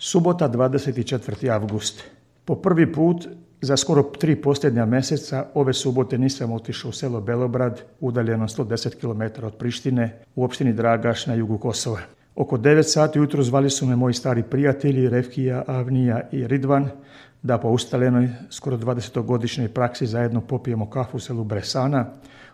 Subota 24. avgust. Po prvi put za skoro 3 posljednja mjeseca ove subote nisam otišao u selo Belobrad, udaljeno 110 km od Prištine, u opštini Dragaš na jugu Kosova. Oko 9 sati ujutro zvali su me moji stari prijatelji Refkija, Avnija i Ridvan da po ustaljenoj skoro 20-godišnjoj praksi zajedno popijemo kafu u selu Bresana,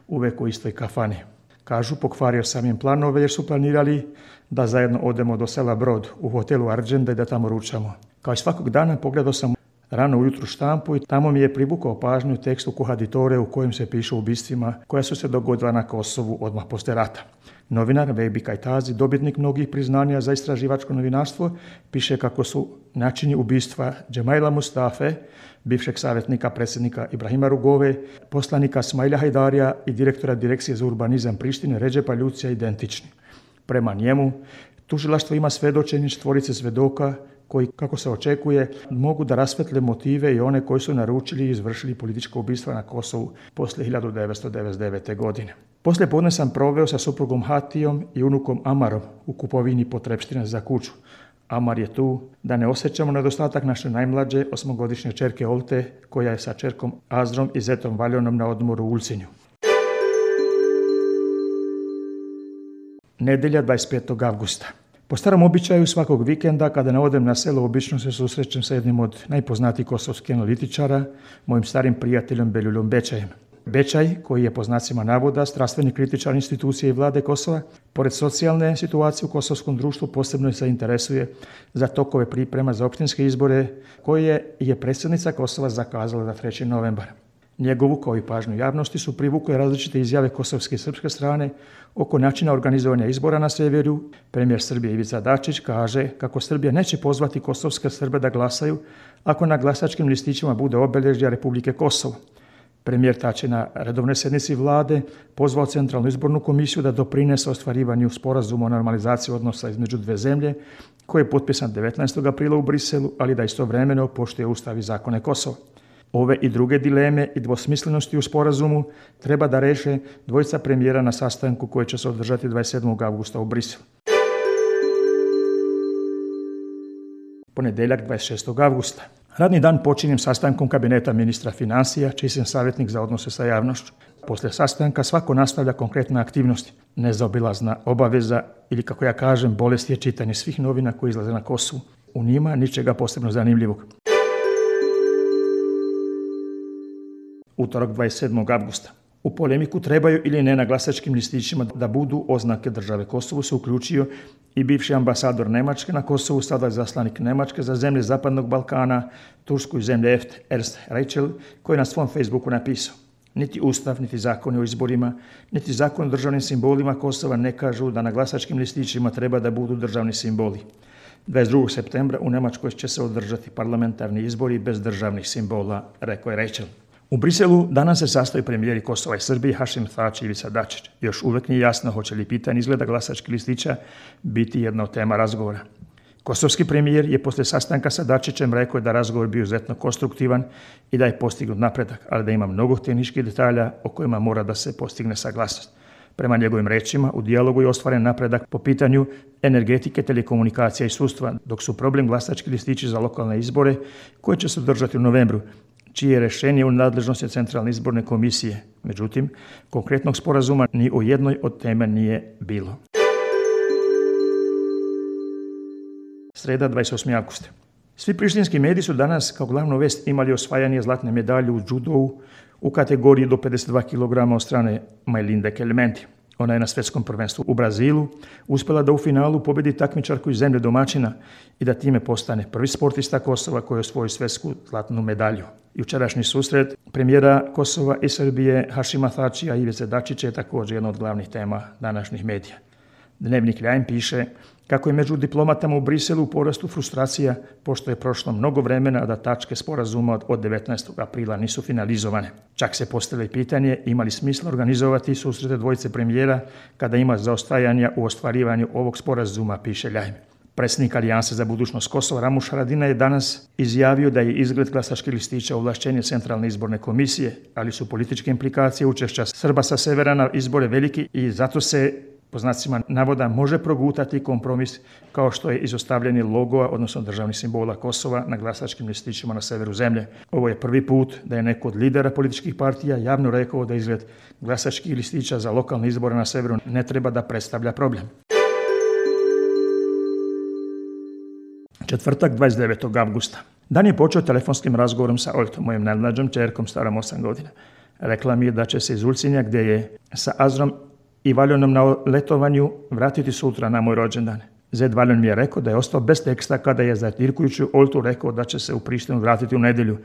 uvek u istoj kafani. Kažu, pokvario sam im planove jer su planirali da zajedno odemo do sela Brod u hotelu Arđenda i da tamo ručamo. Kao i svakog dana pogledao sam rano ujutru štampu i tamo mi je privukao pažnju tekst u Kohaditore u kojem se piše o ubistvima koja su se dogodila na Kosovu odmah poslije rata. Novinar Vejbi Kajtazi, dobitnik mnogih priznanja za istraživačko novinarstvo, piše kako su načini ubistva Džemaila Mustafe, bivšeg savjetnika predsjednika Ibrahima Rugove, poslanika Smaila Hajdarija i direktora Direkcije za urbanizam Prištine Redžepa Ljucija identični. Prema njemu, tužilaštvo ima svedočenje 4 svjedoka koji, kako se očekuje, mogu da rasvetle motive i one koji su naručili i izvršili političko ubistva na Kosovu poslije 1999. godine. Poslije podne sam proveo sa suprugom Hatijom i unukom Amarom u kupovini potrepština za kuću. Amar je tu da ne osjećamo nedostatak naše najmlađe 8-godišnje čerke Olte, koja je sa čerkom Azrom i zetom Valjonom na odmoru u Ulcinju. Nedjelja 25. avgusta. Po starom običaju svakog vikenda kada ne odem na selo, obično se susrećem sa jednim od najpoznatijih kosovskih analitičara, mojim starim prijateljom Beljuljom Bečajem. Bečaj, koji je po znacima navoda strastveni kritičar institucije i vlade Kosova, pored socijalne situacije u kosovskom društvu posebno se interesuje za tokove priprema za opštinske izbore koje je predsjednica Kosova zakazala za 3. novembar. Njegovu, kao i pažnju javnosti, su privukle različite izjave kosovske i srpske strane oko načina organizovanja izbora na sjeveru. Premijer Srbije Ivica Dačić kaže kako Srbija neće pozvati kosovske Srbe da glasaju ako na glasačkim listićima bude obilježja Republike Kosovo. Premijer Tači na redovnoj sjednici vlade pozvao Centralnu izbornu komisiju da doprinese ostvarivanju sporazuma o normalizaciji odnosa između dve zemlje koji je potpisan 19. aprila u Briselu, ali da istovremeno poštuje Ustav i zakone Kosova. Ove i druge dileme i dvosmislenosti u sporazumu treba da reše dvojica premijera na sastanku koji će se održati 27. avgusta u Briselu. Ponedjeljak 26. avgusta. Radni dan počinjem sastankom kabineta ministra financija, čiji sam savjetnik za odnose sa javnošću. Poslije sastanka svako nastavlja konkretne aktivnosti. Nezaobilazna obaveza ili, kako ja kažem, bolest je čitanje svih novina koje izlaze na Kosovu. U njima ničega posebno zanimljivog. Utorak 27. avgusta. U polemiku trebaju ili ne na glasačkim listićima da budu oznake države Kosovo se uključio i bivši ambasador Nemačke na Kosovu, sada zaslanik Nemačke za zemlje Zapadnog Balkana, Tursku i zemlje EFTA, Ernst Reichel, koji je na svom Facebooku napisao: niti Ustav, niti zakoni o izborima, niti zakon o državnim simbolima Kosova ne kažu da na glasačkim listićima treba da budu državni simboli. 22. septembra u Nemačkoj će se održati parlamentarni izbori bez državnih simbola, rekao je Reichel. U Briselu danas se sastaju premijeri Kosova i Srbije Hašim Tači i Ivica Dačić. Još uvijek nije jasno hoće li pitanje izgleda glasačkih listića biti jedna od tema razgovora. Kosovski premijer je poslije sastanka sa Dačićem rekao da razgovor bio izuzetno konstruktivan i da je postignut napredak, ali da ima mnogo tehničkih detalja o kojima mora da se postigne saglasnost. Prema njegovim rečima, u dijalogu je ostvaren napredak po pitanju energetike, telekomunikacija i sudstva, dok su problem glasački listići za lokalne izbore koje će se održati u novembru, čije je rješenje u nadležnosti Centralne izborne komisije. Međutim, konkretnog sporazuma ni o jednoj od teme nije bilo. Sreda 28. avgusta. Svi prištinski mediji su danas kao glavnu vest imali osvajanje zlatne medalje u judovu u kategoriji do 52 kg od strane Majlinde Kelmenti. Ona je na svjetskom prvenstvu u Brazilu uspjela da u finalu pobjedi takmičarku iz zemlje domaćina i da time postane prvi sportista Kosova koji je osvojio svjetsku zlatnu medalju. Jučerašnji susret premijera Kosova i Srbije Hašima Tačija i Ivice Dačića je također jedna od glavnih tema današnjih medija. Dnevnik Ljain piše kako je među diplomatama u Briselu u porastu frustracija pošto je prošlo mnogo vremena, a da tačke sporazuma od 19. aprila nisu finalizovane. Čak se postavlja pitanje ima li smisla organizovati susrete dvojice premijera kada ima zaostajanja u ostvarivanju ovog sporazuma, piše Ljain. Predsjednik Alijanse za budućnost Kosova Ramuš Haradinaj je danas izjavio da je izgled glasačkih listića ovlašćenje Centralne izborne komisije, ali su političke implikacije učešća Srba sa severa na izbore veliki i zato se po znacima navoda može progutati kompromis kao što je izostavljanje logoa, odnosno državnih simbola Kosova na glasačkim listićima na severu zemlje. Ovo je prvi put da je neko od lidera političkih partija javno rekao da izgled glasačkih listića za lokalne izbore na severu ne treba da predstavlja problem. Četvrtak, 29. avgusta. Dan je počeo telefonskim razgovorom sa Oljtom, mojom najmlađom ćerkom starom 8 godina. Rekla mi je da će se iz Ulcinja, gdje je sa Azrom i Valjonom na letovanju, vratiti sutra na moj rođendan. Zed Valjon mi je rekao da je ostao bez teksta kada je zatirkujući Oljtu rekao da će se u Prištinu vratiti u nedjelju,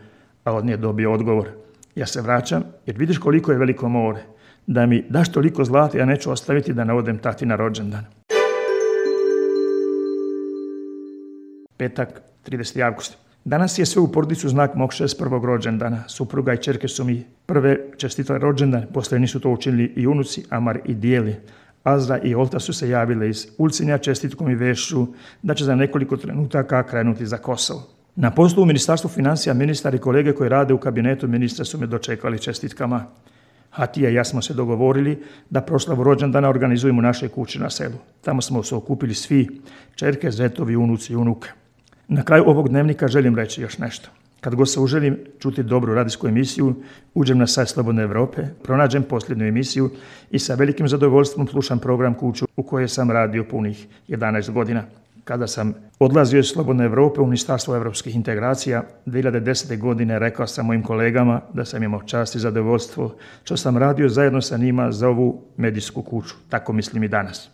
a od nje dobio odgovor. Ja se vraćam jer vidiš koliko je veliko more. Da mi daš toliko zlata, ja neću ostaviti da ne odem tati na rođendan. Petak, 30. avgust. Danas je sve u porodicu znak mog 61. rođendana. Supruga i ćerke su mi prve čestitale rođendan, poslije nisu to učinili i unuci Amar i Dijeli. Azra i Olta su se javile iz Ulcinja čestitkom i vešću da će za nekoliko trenutaka krenuti za Kosovo. Na poslu u Ministarstvu financija ministar i kolege koji rade u kabinetu ministra su me dočekali čestitkama. Hatija i ja smo se dogovorili da proslavu rođendana organizujemo u našoj kući na selu. Tamo smo se okupili svi, ćerke, zetovi, unuci i unuke. Na kraju ovog dnevnika želim reći još nešto. Kad god se uželim čuti dobru radijsku emisiju, uđem na sajt Slobodne Evrope, pronađem posljednju emisiju i sa velikim zadovoljstvom slušam program Kuću u kojoj sam radio punih 11 godina. Kada sam odlazio iz Slobodne Evrope u Ministarstvo evropskih integracija 2010. godine, rekao sam mojim kolegama da sam imao čast i zadovoljstvo što sam radio zajedno sa njima za ovu medijsku kuću. Tako mislim i danas.